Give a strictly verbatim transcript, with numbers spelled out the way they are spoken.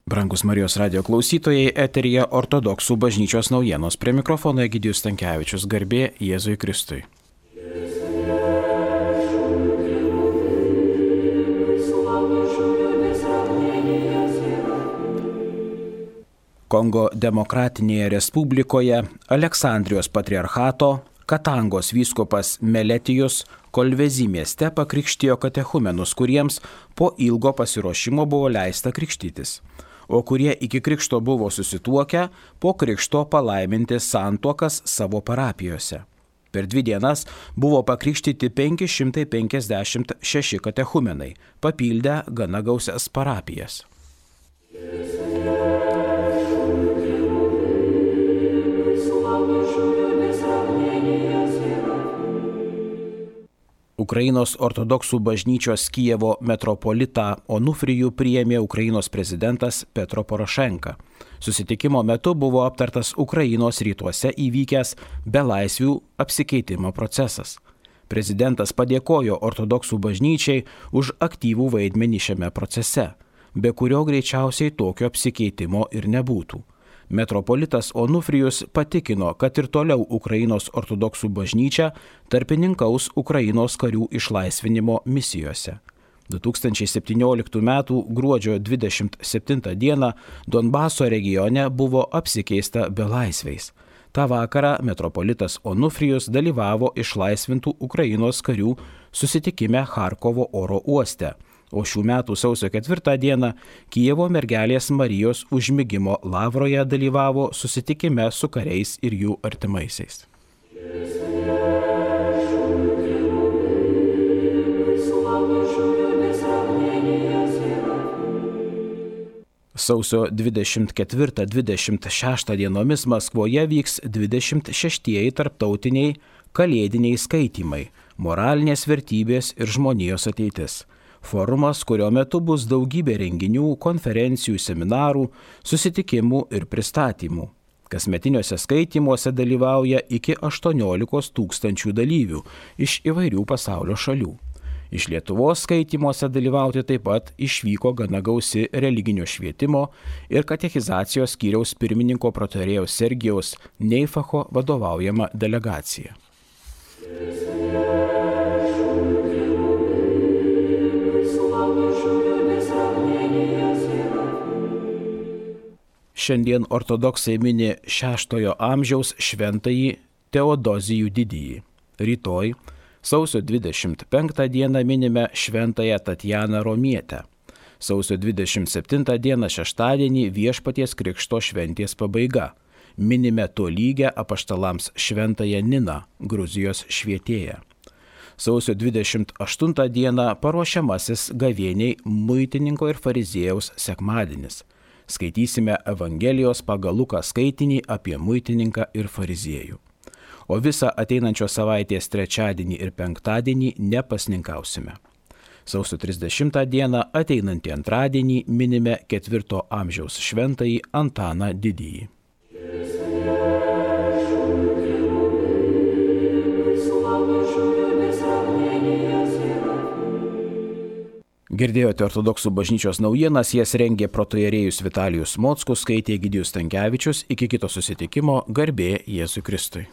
Brangus Marijos radijo klausytojai, eteryje ortodoksų bažnyčios naujienos. Prie mikrofono Egidijus Stankevičius. Garbė Jėzui Kristui. Kongo Demokratinėje Respublikoje Aleksandrijos patriarchato Katangos vyskupas Meletijus Kolvezi mieste pakrikštijo katechumenus, kuriems po ilgo pasiruošimo buvo leista krikštytis, o kurie iki krikšto buvo susituokę, po krikšto palaiminti santuokas savo parapijose. Per dvi dienas buvo pakrikštyti penki šimtai penkiasdešimt šeši katechumenai, papildę gana gausias parapijas. Ukrainos ortodoksų bažnyčios Kijevo metropolitą Onufrijų priėmė Ukrainos prezidentas Petro Porošenka. Susitikimo metu buvo aptartas Ukrainos rytuose įvykęs belaisvių apsikeitimo procesas. Prezidentas padėkojo ortodoksų bažnyčiai už aktyvų vaidmenį šiame procese, be kurio greičiausiai tokio apsikeitimo ir nebūtų. Metropolitas Onufrijus patikino, kad ir toliau Ukrainos ortodoksų bažnyčia tarpininkaus Ukrainos karių išlaisvinimo misijose. du tūkstančiai septynioliktų metų gruodžio dvidešimt septintą dieną Donbaso regione buvo apsikeista belaisviais. Ta vakarą metropolitas Onufrijus dalyvavo išlaisvintų Ukrainos karių susitikime Charkovo oro uoste. O šių metų sausio ketvirtą dieną Kijevo mergelės Marijos užmigimo lavroje dalyvavo susitikime su kariais ir jų artimaisiais. Sausio dvidešimt ketvirtą dvidešimt šeštą dienomis Maskvoje vyks dvidešimt šeštieji tarptautiniai kalėdiniai skaitymai – moralinės vertybės ir žmonijos ateitis. Forumas, kurio metu bus daugybė renginių, konferencijų, seminarų, susitikimų ir pristatymų. Kasmetiniuose skaitymuose dalyvauja iki aštuoniolikos tūkstančių dalyvių iš įvairių pasaulio šalių. Iš Lietuvos skaitymuose dalyvauti taip pat išvyko gana gausi religinio švietimo ir katechizacijos skyriaus pirmininko protarėjaus Sergijaus Neifacho vadovaujama delegacija. Šiandien ortodoksai mini šeštojo amžiaus šventąjį Teodozijų didįjį. Rytoj, sausio dvidešimt penktą dieną minime šventąją Tatjaną Romietę. Sausio dvidešimt septintą dieną šeštadienį Viešpaties Krikšto šventės pabaiga. Minime tolygę apaštalams šventąją Niną, Gruzijos švietėją. Sausio dvidešimt aštuntą dieną paruošiamasis gavėniai muitininko ir fariziejaus sekmadienis. Skaitysime Evangelijos pagal Luką skaitinį apie muitininką ir fariziejų. O visą ateinančios savaitės trečiadienį ir penktadienį nepasninkausime. Sausio trisdešimtą dieną ateinantį antradienį minime ketvirto amžiaus šventąjį Antaną Didįjį. Girdėjote ortodoksų bažnyčios naujienas, jas rengė protoierėjus Vitalijus Mockus, skaitė Egidijus Stankevičius. Iki kito susitikimo, garbė Jėzui Kristui.